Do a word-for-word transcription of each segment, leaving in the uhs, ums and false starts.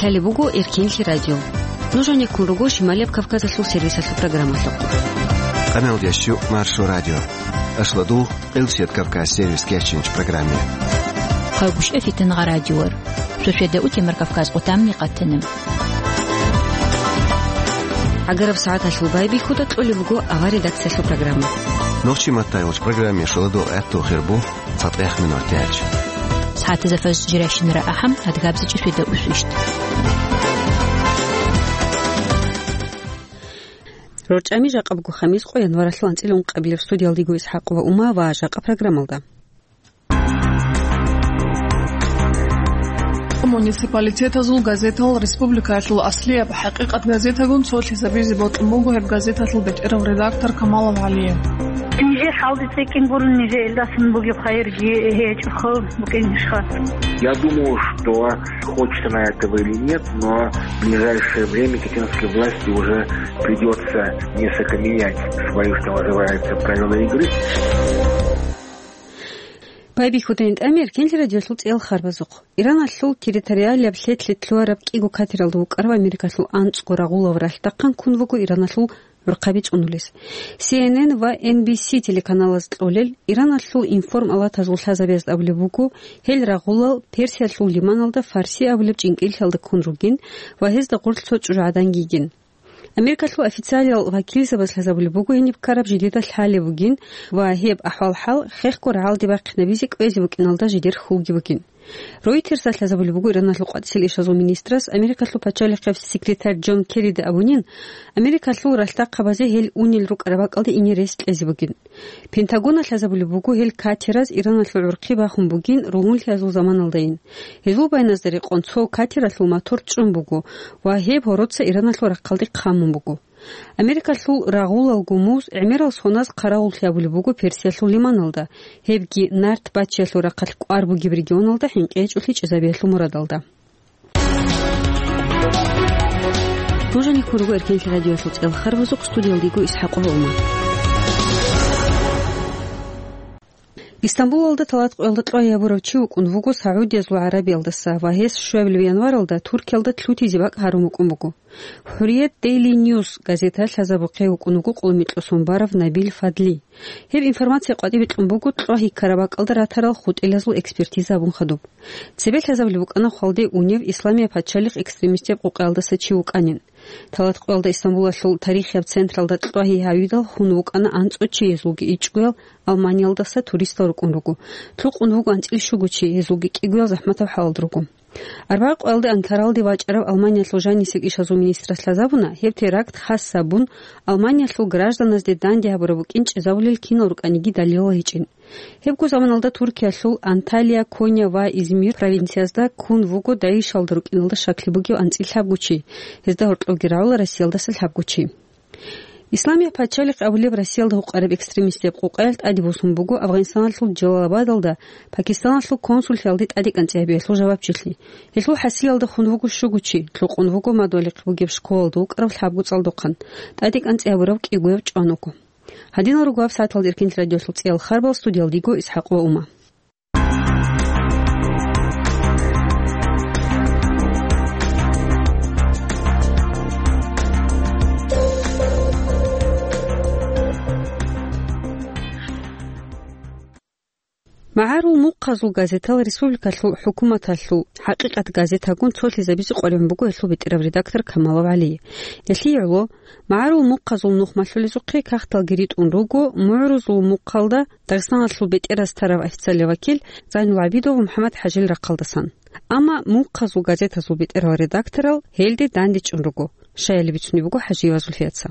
Гьале буго Эркенлъи радио. Нуж гьанеккун руго Шималияб Кавказалъул сервисалъул программалъухъ. Къамел ящу Маршо радио. Ашладу Къилсият Кавказ сервис кечинч программе. Хъагуш эфитан радиор. Шошеда утемар Кавказ къутамни къатанам. Агараб сагӀаталъул байбихьуда кьолеб буго авар редакциялъул программа. Нохчи маттайгъуч программе шоладу гӀатту хирбу. ЦатӀех минут яч. СагӀатазда фаз жирайщинара ахӀам, адгабзичӀи сведа усвищт. РорчӀами жакъа буго хамис къо январалъул анцӀила ункъабилеб. Студиялдего Исхакъова Ума ва жакъа программалда. Муниципалитетазул газетал республикаялъул аслияб ХӀакъикъат газетагун цолъизабизе бокьун буго гьеб газеталъул бетӀерав редактор Камалов ГӀалие. Нижер хӀалде цӀикӀкӀин гурун, нижер илдасан бугеб хайирги гьечӀохъо букӀинищха? Я думаю, что, хочет она этого или нет, но в ближайшее время китайской власти уже придется несколько менять свои, что называется, правила игры. Байбихьудайин тӀамир, Кенлъи радиолъул цӀел харбазухъ. Иранлъул территориалияб лъетлъи лъугьараб кӀиго катералда вукӀарав Америкалъул анцӀго рагъулав ралъдахъан ккун вуго Иранлъул гӀурхъаби цӀунулес. Си Эн Эн ва Эн Би Си телеканалаз кьолел, Иранлъул информалатазул лъазабиязда абулеб буго, гьел рагъулал Персиялъул лиманалда Фарси абулеб чӀинкӀиллъиялда ккун ругин ва гьезда гъорлъ цо чӀужугӀаданги йигин. Америкалъул официалиял вакилзабаз лъазабулеб буго гьениб ккараб жидеда лъалеб бугин ва гьеб ахӀвал-хӀал хехго рагӀалде бахъинабизе кӀвезе букӀиналда жидер хьулги бугин. Ройтерсда лъазабулеб буго Иранлъул къватӀисел ишазул министрас Америкалъул пачалихъеб секретарь Джон Керрида абунин, Америкалъул ралъдахъабазе гьел унел рукӀараб бакӀалде ине рес кьезе бугин. Пентагона лъазабулеб буго гьел катераз Иранлъул гӀурхъи бахун бугин ругьунлъиязул заманалдайин. Гьезул байназда рекъон цо катералъул мотор чӀун буго ва гьеб гьороца Иранлъул рахъалде хъамун буго. Америкалъул рагъулал гумуз гӀемерал соназ хъаравуллъи абулеб буго Персиялъул лиманалда, гьебги нарт баччиялъул рахъалъ кӀвар бугеб регионалда хӀинкъи гьечӀолъи чӀезабиялъул мурадалда. Нуж гьанеккун руго Эркенлъи радиоялъул цӀел харбазухъ, студиялда йиго Исхакъова Ума. Истамбулалда талат къоялда кьвай гьабурав чи вукӀун вуго Саудиязул ГӀарабиялдаса ва гьес щуабилеб январалда Туркиялда лъутизе бакӀ гьарун вукӀун буго. ХӀурият Дейли Ньюс газета лъазабухъе вукӀун вуго къулмикьосон барав Набил Фадли. Гьеб информация къватӀибе кьун буго кьвагьи ккараб бакӀалда ратарал хутӀилазул экспертиза абун хадуб. Цебе лъазабулеб букӀана хвалде унев Исламияб пачалихъ экстремистияб къукъаялдаса чи вукӀанин. Талат къоялда Истамбулалъул тарихияб централда кьвагьи гьавидал хун вукӀана анцӀго чи, гьезулги ичӀгоял Алманиялдаса туристал рукӀун руго. Лъукъун вуго анцӀил щуго чи, гьезулги кӀигоял захӀматаб хӀалалда руго. Арбагъ къоялда Анкаралде вачӀарав Алманиялъул жанисел ишазул министрас лъазабуна, гьеб теракт хас гьабун, Алманиялъул гражданазде данде гьабураб букӀин чӀезабулел кинал рукӀаниги далилал гьечӀин. Гьебго заманалда Туркиялъул Анталия, Коня ва Измир провинциязда ккун вуго ДАИШалда рукӀиналда щаклъи бугев анцӀил лъабго чи, гьезда гьоркьовги рагӀула Россиялдаса лъабго чи. Исламияб пачалихъ абулеб Россиялда гьукъараб экстремистияб къукъаялъ тӀаде босун буго Афгъанистаналъул Джалалабадалда Пакистаналъул консуллъиялде тӀадекӀанцӀи гьабиялъул жавабчилъи. Гьелъул хӀасилалда хун вуго щуго чи, лъукъун вуго мадугьалихъ бугеб школалда вукӀарав лъабго цӀалдохъан, тӀадекӀанцӀи гьабурав кӀигояв чӀван вуго. Гьадинал руго гьаб сагӀаталда Эркенлъи радиолъул цӀел харбал, студиялда йиго Исхакъова Ума. МагӀарул мухъазул газетал республикалъул хӀукуматалъул «ХӀакъикъат» газетагун цолъизабизе къваригӀун буго гьелъул бетӀерав редактор Камалов ГӀали. Гьелъие гӀоло, магӀарул мухъазул нухмалъулезухъе кагъталги ритӀун руго, мугӀрузул мухъалда Дагъистаналъул бетӀераз тарав официалияб вакил Зайнул ГӀабидов МухӀаммад ХӀажил рахъалдасан. Амма мухъазул газетазул бетӀерал редакторал гьелде дандечӀун руго, щаяли бицунеб буго ХӀажиева Зульфияца.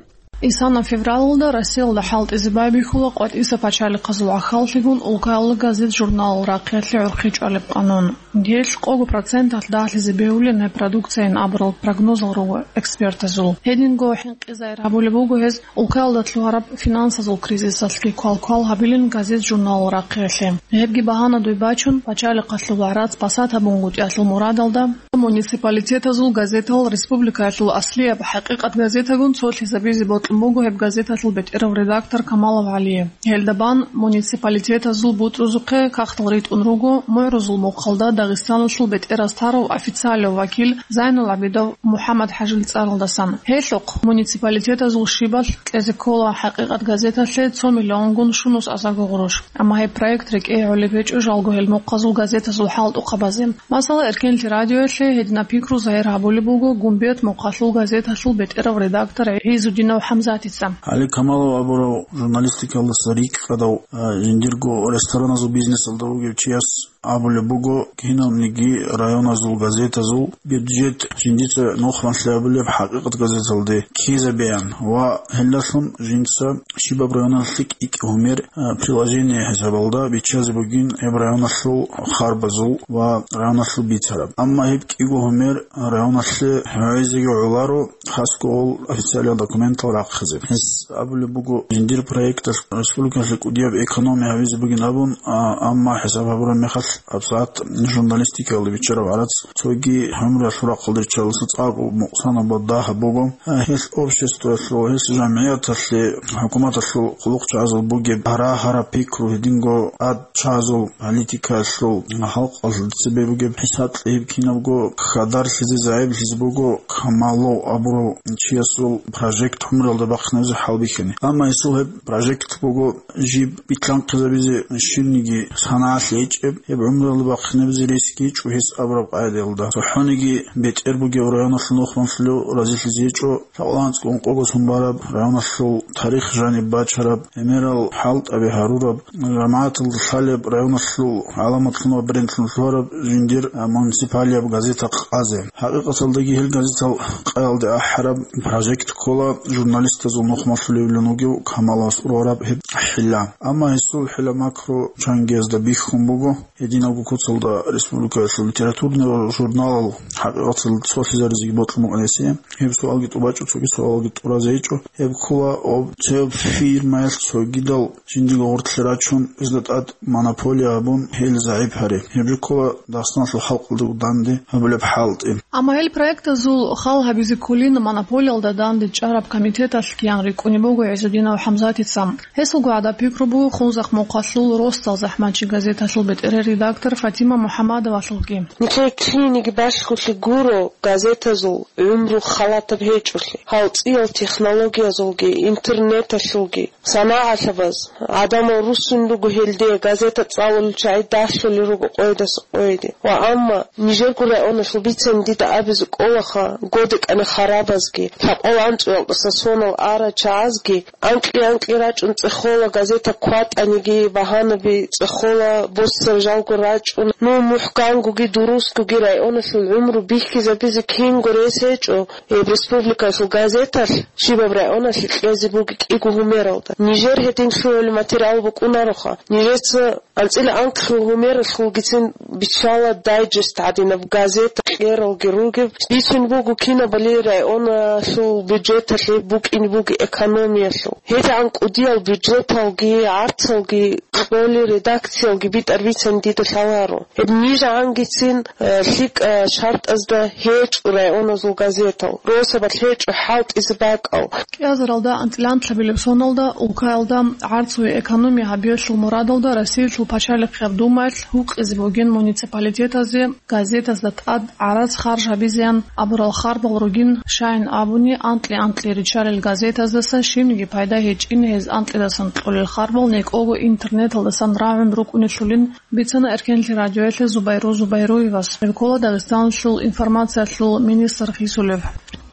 Исана февралалда Россиялда хӀалтӀизе байбихьула къватӀиса пачалихъазул гӀахьаллъигун улкаялда газет-журналал рахъиялъе гӀурхъи чӀвалеб къанун. Гьелъ къого проценталъ дагьлъизе бегьулин гьеб продукцияйин абурал прогнозал руго экспертазул. Гьединго хӀинкъизайир гьабулеб буго гьез улкаялда лъугьараб финансазул кризисалъги квалквал гьабилин газет-журналал рахъиялъе. Гьебги багьанадуй бачун, пачалихъалъул вагӀрат спасат гьабунгутӀиялъул мурадалда, муниципалитетазул газетал республикаялъул аслияб «ХӀакъикъат» газетагун цолъизабизе бокьун буго гьеб газеталъул бетӀерав редактор Камалов ГӀалие. Гьелда бан муниципалитетазул бутӀрузухъе кагътал ритӀун руго мугӀрузул мухъалда Дагъистаналъул бетӀераз тарав официалияв вакил Зайнул ГӀабидов МухӀаммад-ХӀажил цӀаралдасан. Гьелъухъ муниципалитетазул щибалъ кьезе ккола «ХӀакъикъат» газеталъе цо миллионгун щунус азарго гъурущ. Амма гьеб проект рекӀее гӀолеб гьечӀо жалго гьел мухъазул газетазул хӀалтӀухъабазе. Масала, Эркенлъи радиоялъе гьединаб пикру загьир гьабулеб буго Гумбет мухъалъул газеталъул бетӀерав редактор ГӀизудинов ХӀамзатица. ГӀали Камалов абурав журналистикалдаса рикӀкӀадав, а, жиндирго рестораназул бизнесалда вугев чияс абулеб буго, киналниги районазул газетазул бюджет жиндица нухманлъи абулеб «ХӀакъикъат» газеталде ккезабеян ва гьелдалъун жинца щибаб районалъе кӀи-кӀи гьумер, а, приложение хӀисабалда биччазе бугин гьеб районалъул харбазул ва районалъул бицараб. Амма гьеб кӀиго гьумер районалъе гьавизеги гӀоларо, хасго гъол официалиял документал рахъизе. Гьес абулеб буго, жиндир проекталъ республикалъе кӀудияб экономия гьавизе бугин абун, а, амма хӀисаб гьабураб мехалъ, гьабсагӀат журналистикаялда биччараб гӀарац цоги гӀумруялъул рахъалда риччалдаса цӀакъго мукъсанаб ва дагьаб буго. А, гьелъ обществоялъул, гьелъ жамгӀияталъе, хӀукуматалъул хъулухъчагӀазул бугеб гьарагьараб пикру, гьединго ад чагӀазул политикаялъул халкъалъ цебе бугеб хӀисаблъи гьеб кинабго хьадарлъизе, загӀиплъизе буго Камалов абурав чиясул прожект гӀумруялда бахъинабизе хӀалбихьани. Амма гьесул гьеб прожект буго жиб битлъанхъизабизе щибниги санагӀалъи гьечӀеб, гьеб гӀумруялда бахъинабизе рес гьечӀо гьес абураб къагӀидаялда. ЦохӀониги бетӀер бугев районалъул нухманлъулев разилъизе гьечӀо, лъакъалда анцӀго ункъого сон бараб, районалъул тарих жаниб бачараб, гӀемерал хӀалтӀаби гьарураб, жамагӀаталда лъалеб, районалъул гӀаламатлъун ва брендлъун лъугьараб жиндир, а, муниципалияб газета къазе. ХӀакъикъаталдаги гьел газетал къаялде ахӀараб прожект ккола журналистазул нухмалъулевлъун вугев Камалас ургъараб гьеб хӀилла. Амма гьесул хӀилла-макру чангиязда бихьун буго. Гьединабго куцалда республикаялъул литературный журналал хӀакъикъаталда цолъизаризеги бокьун букӀана гьесие. Гьеб суалги тӀубачӀо, цоги суалги тӀуразе гьечӀо. Гьеб ккола об цеб фирмаялъ цогидал жиндиго гъорлъе рачун, изда тӀад монополия гьабун, гьел загӀип гьари. Гьеб жо ккола Дагъистаналъул халкъалда данде гьабулеб хӀалтӀи. Амма гьел проектазул хал гьабизе кколин монополиялда данде чӀараб комитеталъ киян рикӀкӀунеб буго ГӀизудинов ХӀамзатица. Гьесулго гӀадаб пикру буго Хунзахъ мухъалъул росдал захӀмачи газеталъул бетӀерер редактор Фатима МухӀаммадовалъулги. Нилъер киниги балъголъи гуро газетазул гӀумру халатаб гьечӀолъи, гьалцӀиял технологиязулги, интернеталъулги. СанагӀалъабаз, гӀадамал руссун руго гьелде газета цӀалулел чагӀи далъулел руго къойдаса къойде. Ва амма нижерго районалъул бицани дида абизе кӀолаха, годекӀани харабазги, лъабкъоялда анцӀгоялдаса сонал арал чагӀазги, анкьи-анкьи рачӀун цӀехола, газета кватӀаниги, багьанаби цӀехола, боссараб жалго рачӀун, ну, мухӀкангоги дурусгоги районалъул гӀумру бихьизабизе кинго рес гьечӀо, гьеб республикалъул газеталъ щибаб районалъе кьезе буго кӀиго гьумералда. Нижер гьедин лъугӀулеб материал букӀунароха. Нижеца анцӀила анкьго гьумералъулгицин биччала дайджест гӀадинаб газета кьералги ругеб. Бицун буго кинабали районалъул бюджеталъе букӀине буго экономиялъул. ГьедигӀан кӀудиял бюджеталги, гӀарцалги, кьоли редакциялги битӀар бицани дида лъаларо. Гьеб нижагӀангицин, э, лъикӀа шартӀазда гьечӀо районалъул газетал, росабалъ гьечӀо хӀалтӀизе бакӀал. КӀиазаралда анцӀила анкьабилеб соналда улкаялда гӀарцуе экономия гьабиялъул мурадалда Россиялъул пачалихъияб Думаялъ гьукъизе бугин муниципалитетазе газетазда тӀад гӀарац харж гьабизеян абурал харбал ругин, щайин абуни, анкьи-анкьи риччалел газетаздаса щибниги пайда гьечӀин, гьез анкьидасан кьолел харбал некӀого интернеталдасан рагӀун рукӀунелъулин бицана Эркенлъи радиоялъе Зубайру Зубайруевас. Гьеб ккола Дагъистаналъул информациялъул министр хисулев.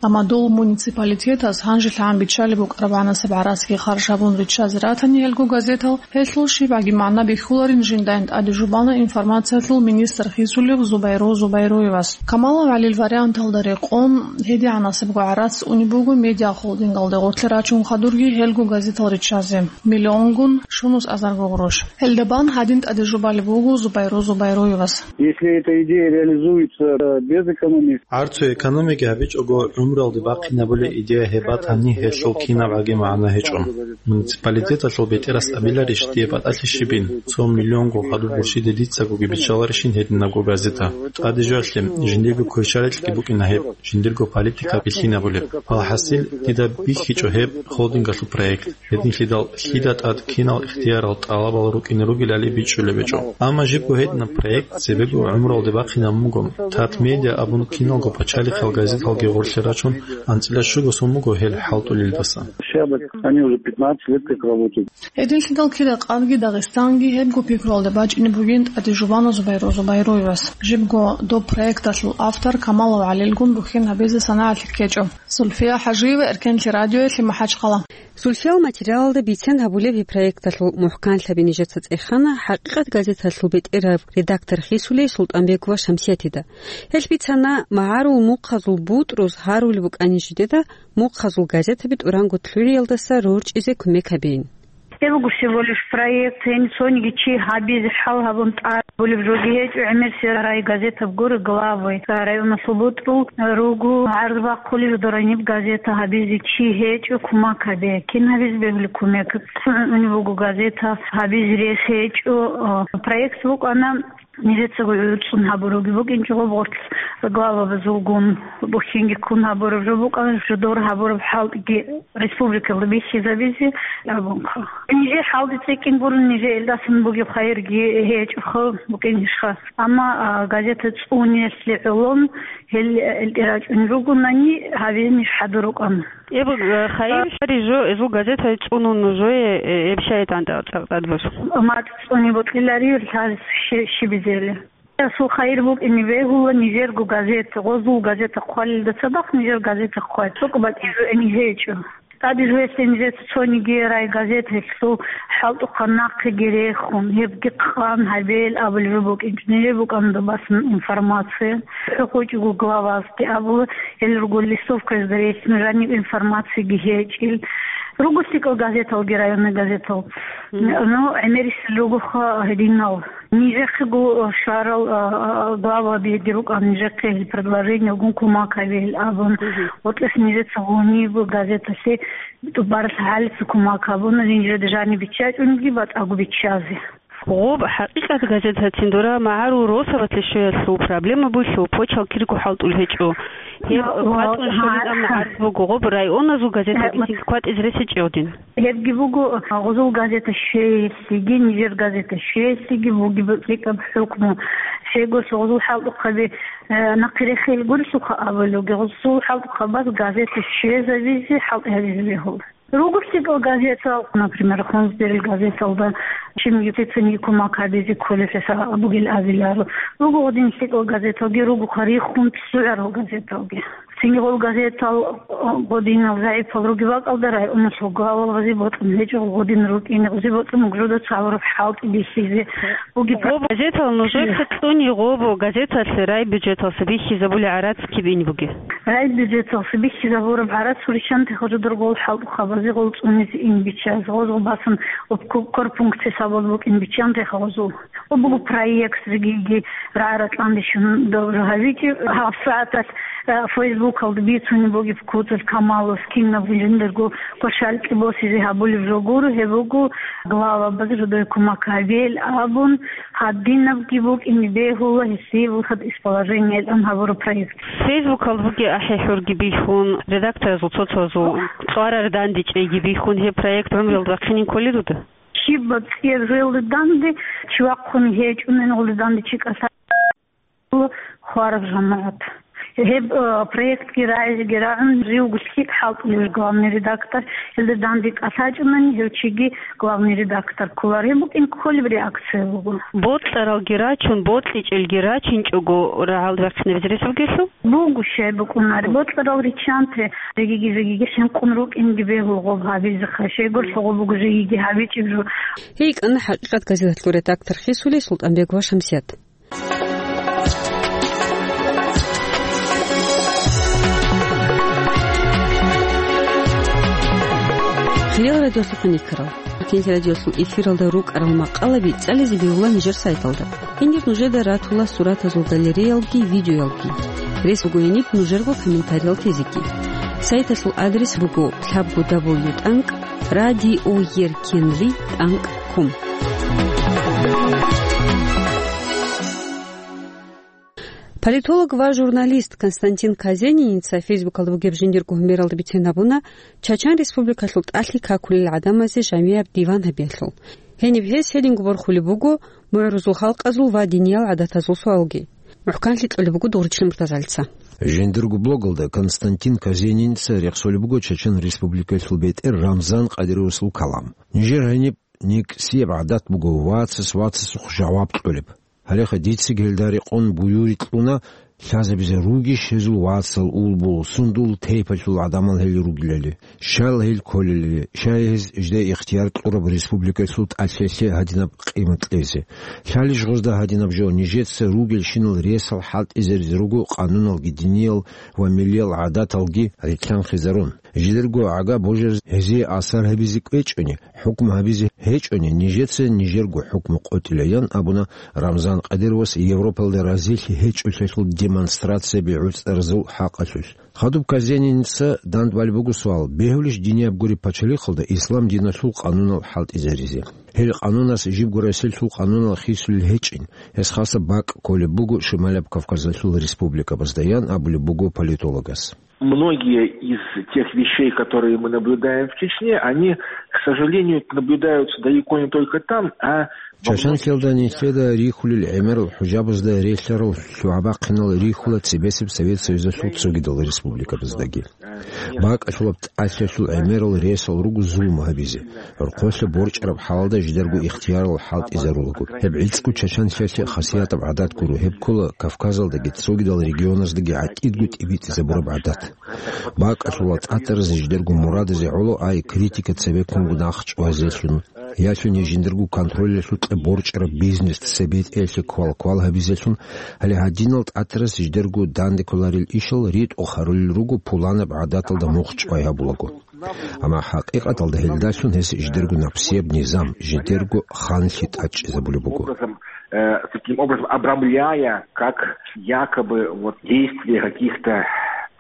Амма дол муниципалитетас гьанжелъагӀан биччалеб букӀараб гӀанасеб гӀарацги харж гьабун риччазе ратани гьелго газетал, гьелъул щибгӀаги магӀна бихьуларин жиндайин тӀаде жубана информациялъул министр хисулев Зубайру Зубайруевас. Камалов ГӀалил варианталда рекъон, гьедигӀанасебго гӀарац унеб буго медиахолдингалде гъорлъе рачун хадурги гьелго газетал риччазе миллионгун щунус азарго гъурущ. Гьелда бан гьадин тӀаде жубалеб буго Зубайру Зубайруевас. Если эта идея реализуется, э, без экономии. ГӀарцуе экономияги гьабичӀого, Гуралде бахъинабулеб идея гьеб батани, гьелъул кинабгӀаги магӀна гьечӀо. Муниципалитеталъул бетӀерас абиларищ дие батӀалъи щибин, цо миллионго хадуб гурщиде дицагоги биччаларищин гьединабго газета? ТӀаде жоялъе, жиндирго кверщаликьги букӀина гьеб, жиндирго политика бихьинабулеб. Алхасил, дида бихьичӀо гьеб холдингалъул проект. Гьединлъидал лъида тӀад кинал ихтиярал тӀалабал рукӀине ругелали бичӀчӀулеб гьечӀо. Амма жибго гьединаб проект цебего гӀумруялде бахъинабун буго. Татмедиа абун киналго пачалихъал газеталги гъорлъе рачун, анцӀила щуго сон буго гьел хӀалтӀулелдаса. Они уже пятнадцать лет как работают. Гьединлъидал кида къадги Дагъистанги гьебго пикруялда бачӀине бугин ТӀаде Жубанов Зубайру Зубайруевас. Жибго доб проекталъул автор Камалов ГӀалилгун бухьин гьабизе санагӀалъи ккечӀо. Зульфия ХӀажиева, Эркенлъи радиоялъе, МахӀачхъала. Зульфиял материалалда бицен гьабулеб гьеб проекталъул мухӀканлъаби нижеца цӀехана «ХӀакъикъат» газеталъул бетӀераб редактор хисулей СултӀанбегова Шамсиятида. Гьелъ бицана, магӀарул мухъазул бутӀруз гьарулеб букӀани жидеда мухъазул газетаби тӀуранго лъугӀиялдаса рорчӀизе кумек гьабейин. Гьеб буго всего лишь проект, гьениб цониги чи гьабизе хӀал гьабун тӀад болеб жоги гьечӀо, гӀемерисел райгазетаб гуро главы, районалъул бутӀрул руго гӀарз бахъулел дораниб газета гьабизе чи гьечӀо, кумек гьабе. Кин гьабизе бегьулеб кумек? ЦӀунун унеб буго газета, гьабизе рес гьечӀо. Проект букӀана, нижецаго гӀуцӀун гьабуравги букӀинчӀо гъоб гъорлъ главабазулгун, бухьинги ккун гьабураб жо букӀана, жидер гьабураб хӀалтӀиги республикалда бихьизабизе абунха. Нижер хӀалтӀи цӀикӀкӀин гурун, нижер илдасан бугеб хайирги гьечӀоха букӀинищха. Амма, а, газета цӀуниялъе гӀоло гьел, э, илтӀе рачӀун ругонани, гьабизе ниж хӀадур рукӀана. Эб, э, хайир, э, жо, эзул газета цӀунун нужее, э, эб щай тӀан-, тӀа-, тӀадбуз? МацӀ цӀуни бокьилари, лъалес щи-, щибизели. Асул хайир букӀине бегьула нижерго газета, гъозул газета хъвалилда цадахъ нижер газета хъвай. ЦӀукӀ батӀизе гьечӀо. ТӀаде жоялъе нижеца цониги райгазет гьелъул хӀалтӀухъан нахъеги рехун, гьебги хъан гьабел абулеб жо букӀинчӀо. Нижер букӀана доб басан информация. ХӀукъучӀого главазги абула, гьел руго листовказда релълъун жаниб информацияги гьечӀил. Руго лъикӀал газеталги, районный газетал. Мгм. Ну, гӀемерисел ругоха гьединал. Нижехъего щварал, а, а, главабиги рукӀана, нижехъе гьел предложениялгун кумек гьабе гьел абун. Мгм. ГъотӀес нижеца гьуниб газеталъе тӀубаралъ гьалица кумек гьабуна, нижеда жаниб биччачӀунги батӀаго биччазе. Гъоб «ХӀакъикъат» газетацин дора магӀарул росабалъе щвеялъул проблема буго, почал кирго хӀалтӀул гьечӀо. Гьеб ва-, ва-, кватӀун щолин ва-, амма гӀарз буго, гъоб районазул газетабицинги кватӀизе рес гьечӀо гьедин. Гьебги буго, гъозул газета щвеялъеги, нижер газета щвеялъеги бугеб лъикӀаб хӀукму. Щайгурелъул гъозул хӀалтӀухъаби, э, нахъе рехел гурелъулха абулевги, гъозул хӀалтӀухъабаз газета щвезабизе, хӀалтӀи гьабизе бегьула. Руго лъикӀал газетал, например, Хунзберил газеталда, чим юртицинги кумек гьабизе кколелъ бугел абиларо. Руго гъодин лъикӀал газеталги, ругоха рихун цӀугӀарал газеталги. Цинги гъол газетал, э, гъодинал загӀипал ругеб бакӀалда районалъул главабазе бокьун гьечӀо, гъодин рукӀине гъозе бокьун бугжуда цалураб хӀалтӀи бихьизе бугеб. Гъоб газетал нужехъе цӀуни гъоб газеталъе райбюджеталъа бихьизабули гӀарац киб ин бугеб? Райбюджеталъа бихьизабураб гӀарац гьурищанте гъожодор гъол хӀалтӀухъабазе гъол цӀунизе ин биччазе, гъозул басан об ку-, корпункт хӀисабал букӀин биччан рехъ гъозул. Ва буго проект жигиги рагӀа-ратӀландищун добру гьабичӀеб. ГьабсагӀаталъ, э, Фейсбукалда бицунеб бугеб куцалъ Камалас кинаб жиндирго квашалкьи босизе гьабулеб жо гуро, гьеб буго главабаз жидее кумек гьабейил абун, гьадинабги букӀине бегьула гьесие выход из положениялъан гьабураб проект. Фейсбукалда бугеб ахӀи-хӀурги бихьун, редакторазул цо-цоязул кьварар дандечӀейги бихьун, гьеб проект гӀумруялда вахъинин кколел руда? Щибаб цӀияб жоялда данде чи вахъун гьечӀунани, гъолда данде чи кӀалъа-, хвараб жамагӀат. Гьеб, э, проектги рагӀизеги рагӀун, живго лъикӀ хӀалтӀулев главный редактор, гьелда данде кӀалъачӀунани, гьев чиги главный редактор кколар. Гьеб букӀин кколеб реакция буго. Бокьаралги рачун, бокьичӀелги рачинчӀого рагӀалда вахъинабизе рес бугелъул? Буго щай букӀунари. Бокьарал риччанте, жегиги-жегиги хӀинкъун рукӀинги бегьул гъоб гьабизеха. Щайгурелъул гъоб буго жегиги гьабичӀеб жо. ГьикӀана «ХӀакъикъат» газеталъул редактор хисулей СултӀанбегова Шамсият. Хириял радиолъухъ никарал. Кенти радиолъул эфиралда рукӀарал макъалаби цӀализе бегьула нижер сайталда. Гьенир нужеда ратула суратазул галереялги, видеоялги. Рес буго гьениб нужерго комментариял тезеги. Сайталъул адрес буго лъабго дабл ю тӀанкӀ радиоеркенлъи тӀанкӀ ком. Политолог ва журналист Константин Казениница Фейсбукалда бугеб жиндирго гьумералда бицен абуна, Чачан Республикалъул тӀалъи какулел гӀадамазе жамияб диван гьабиялъул. Гьениб гьес гьединго борхулеб буго мугӀрузул халкъазул ва диниял гӀадатазул суалги. МухӀканлъи кьолеб буго Дугъричилан Муртазалица. Жиндирго блогалда Константин Казениница рехсолеб буго Чачан Республикалъул бетӀер Рамзан Къадировасул калам. Нижер гьаниб никсияб гӀадат буго вацас вацасухъ жаваб кьолеб. Гьалеха дицаги гьелда рекъон буюри кьуна, лъазабизе ругищ гьезул вацал, улбул, сундул тайпалъул гӀадамал гьел ругилали, щал гьел кколелали, щай гьез жида ихтияр кьураб республикалъул тӀалъилъе гьадинаб къимат кьезе. Лъалищ гъозда гьадинаб жо, нижеца ругелщинал ресал хӀалтӀизаризе руго къануналги, диниял ва миллиял гӀадаталги рилълъанхъизарун. Жидерго гӀага божараз гьезие асар гьабизе кӀвечӀони, хӀукму гьабизе гьечӀони, нижеца нижерго хӀукму къотӀилаян абуна Рамзан Къадировас Европалда разилъи гьечӀолъиялъул демонстрацияби гӀуцӀаразул хӀакъалъулъ. Хадуб Казениница дандбали буго суал: бегьулищ динияб гури пачалихъалда ислам диналъул къанунал хӀалтӀизаризе? Гьел къанунас жибго Россиялъул къанунал хисулел гьечӀин, гьес хасаб бакӀ кколеб буго Шималаб Кавказалъул республикабазда, ян абулеб буго политологас. Многие из тех вещей, которые мы наблюдаем в Чечне, они, к сожалению, наблюдаются далеко не только там, а во многих Чачанлъиялда нилъеда рихьулел гӀемерал хӀужабазда релълъарал лъугӀа-бахъинал рихьула цебесеб Совет Союзалъул цогидал республикабаздаги. БакӀалъулаб тӀалъиялъул гӀемерал ресал руго зулму гьабизе. ГӀурхъулъа борчӀараб хӀалалда жидерго ихтиярал хӀалтӀизарулаго. Гьеб гӀицӀго Чачанлъиялъе хасиятаб гӀадат гуро, гьеб ккола Кавказалдаги цогидал регионаздаги гӀатӀидго тӀибитӀизабураб гӀадат. БакӀалъула тӀатаразе жидерго мурадазе гӀоло ай критика цебеккунго нахъчӀвазелъун, ялъуни жиндирго контролялъукьа борчӀараб бизнес цебетӀеялъе квал-квал гьабизелъун, гьале гьадинал тӀатарас жидерго данде кколарел ишал ритӀухъ гьарулел руго пуланаб гӀадаталда мухъ чӀвай гьабулаго. Амма хӀакъикъаталда гьелдалъун гьес жидерго напсияб низам, жидерго ханлъи тӀадчӀизабулеб буго. Образом, э, таким образом обрамляя как якобы вот действия каких-то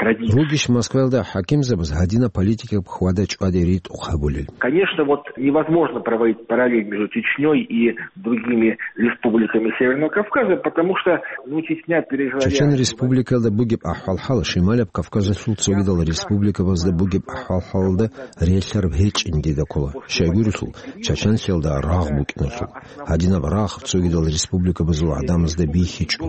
традиций. Ругищ Москваялда хӀакимзабаз гьадинаб политикаб хьвада-чӀваде ритӀухъ гьабулел? Конечно, вот невозможно проводить параллель между Чечнёй и другими республиками Северного Кавказа, потому что, ну, Чечня пережила Чечен республикалда бугеб ахӀвал-хӀал Шималаб Кавказалъул цогидал республикабазда бугеб ахӀвал-хӀалалда релълъараб гьечӀин дида ккола. Щайгурелъул, Чачанлъиялда рагъ букӀиналъул. Гьадинаб рагъ цогидал республикабазул гӀадамазда бихьичӀо.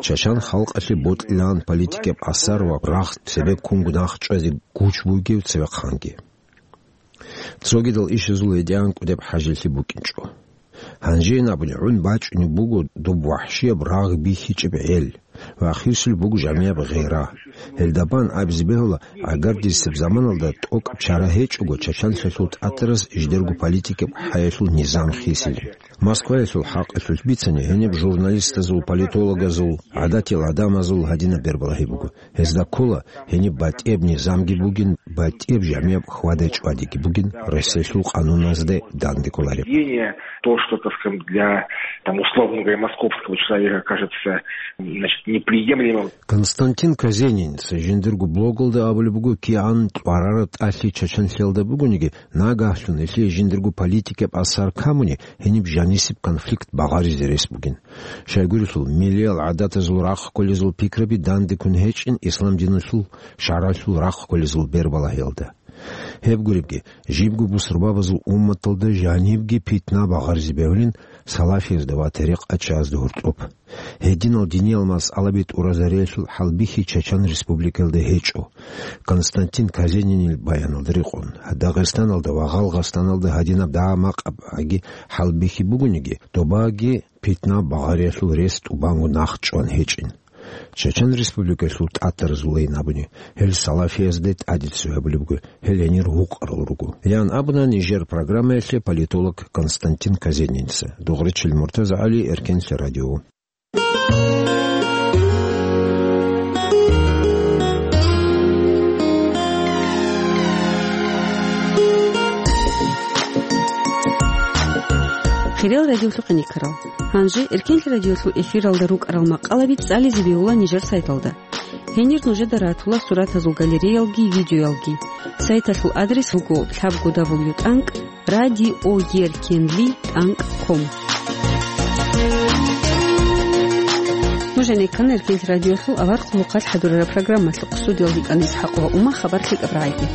Чачан халкъалъе бокьилаан политикаб асар ва рагъ цебеккунго нахъчӀвазе гуч бугев цевехъанги. Цогидал ишазул гьедигӀан кӀудеб хӀажилъи букӀинчӀо. Гьанжеян абуни гӀун бачӀунеб буго доб вахӀшияб рагъ бихьичӀеб гӀел ва хисулеб буго жамияб гъира. Гьелда бан абизе бегьула, гӀагардисеб заманалда тӀокӀаб чара гьечӀого Чачанлъиялъул тӀатарас жидерго политикаб хӀаялъул низам хисилин. Москваялъул хӀакъалъулъ бицани, гьениб журналистазул, политологазул, гӀадатиял гӀадамазул гьадинаб бербалагьи буго. Гьезда ккола, гьениб батӀияб низамги бугин, батӀияб жамияб хьвада-чӀвадиги бугин, Россиялъул къануназде данде кколареб. Поведение, то, что, так скажем, для, там, условно говоря, московского человека кажется, значит, неприемлемым. Константин Казениница жиндирго блогалда абулеб буго, кигӀан тӀварараб тӀалъи Чачанлъиялда бугониги, нагагьлъун гьелъие жиндирго политикаб асар камуни, гьениб жанисеб конфликт багъаризе рес бугин. Щайгурелъул, миллиял гӀадатазул рахъ кколезул пикраби данде ккун гьечӀин ислам диналъул шаргӀалъул рахъ кколезул бербалагьиялда. Гьеб гуребги, жибго бусурбабазул умматалда жанибги питна багъаризе бегьулин салафиязда ва тарикъатчиязда гьоркьоб. Гьединал диниял масъалаби тӀуразариялъул хӀалбихьи Чачан Республикаялда гьечӀо. Константин Казенинил баяналда рекъон, Дагъистаналда ва Гъалгъастаналда гьадинаб дагьа-макъаб гӀаги хӀалбихьи бугониги, добаги питна багъариялъул рес тӀубанго нахъ чӀван гьечӀин. Чачан Республикаялъул тӀатаразулайин абуни, гьел салафиязде тӀаде цо гьабулеб буго, гьел гьенир гьукъарал руго, ян абуна нижер программаялъе политолог Константин Казениница. Дугъричил Муртаза ГӀали, Эркенлъи радио. Хириял радиолъухъ никарал. Гьанже Эркенлъи радиолъул эфиралда рукӀарал макъалаби цӀализе бегьула нижер сайталда. Гьенир нужеда ратула суратазул галереялги видеоялги. Сайталъул адрес буго лъабго дабл ю тӀанкӀ радиоеркенли тӀанкӀ ком. Нуж гӀенеккана Эркенлъи радиолъул авар хъулухъалъ хӀадурараб программалъухъ. Студиялда йикӀана ИсхӀакъ ва Ума. Хабар лъикӀаб рагӀиде.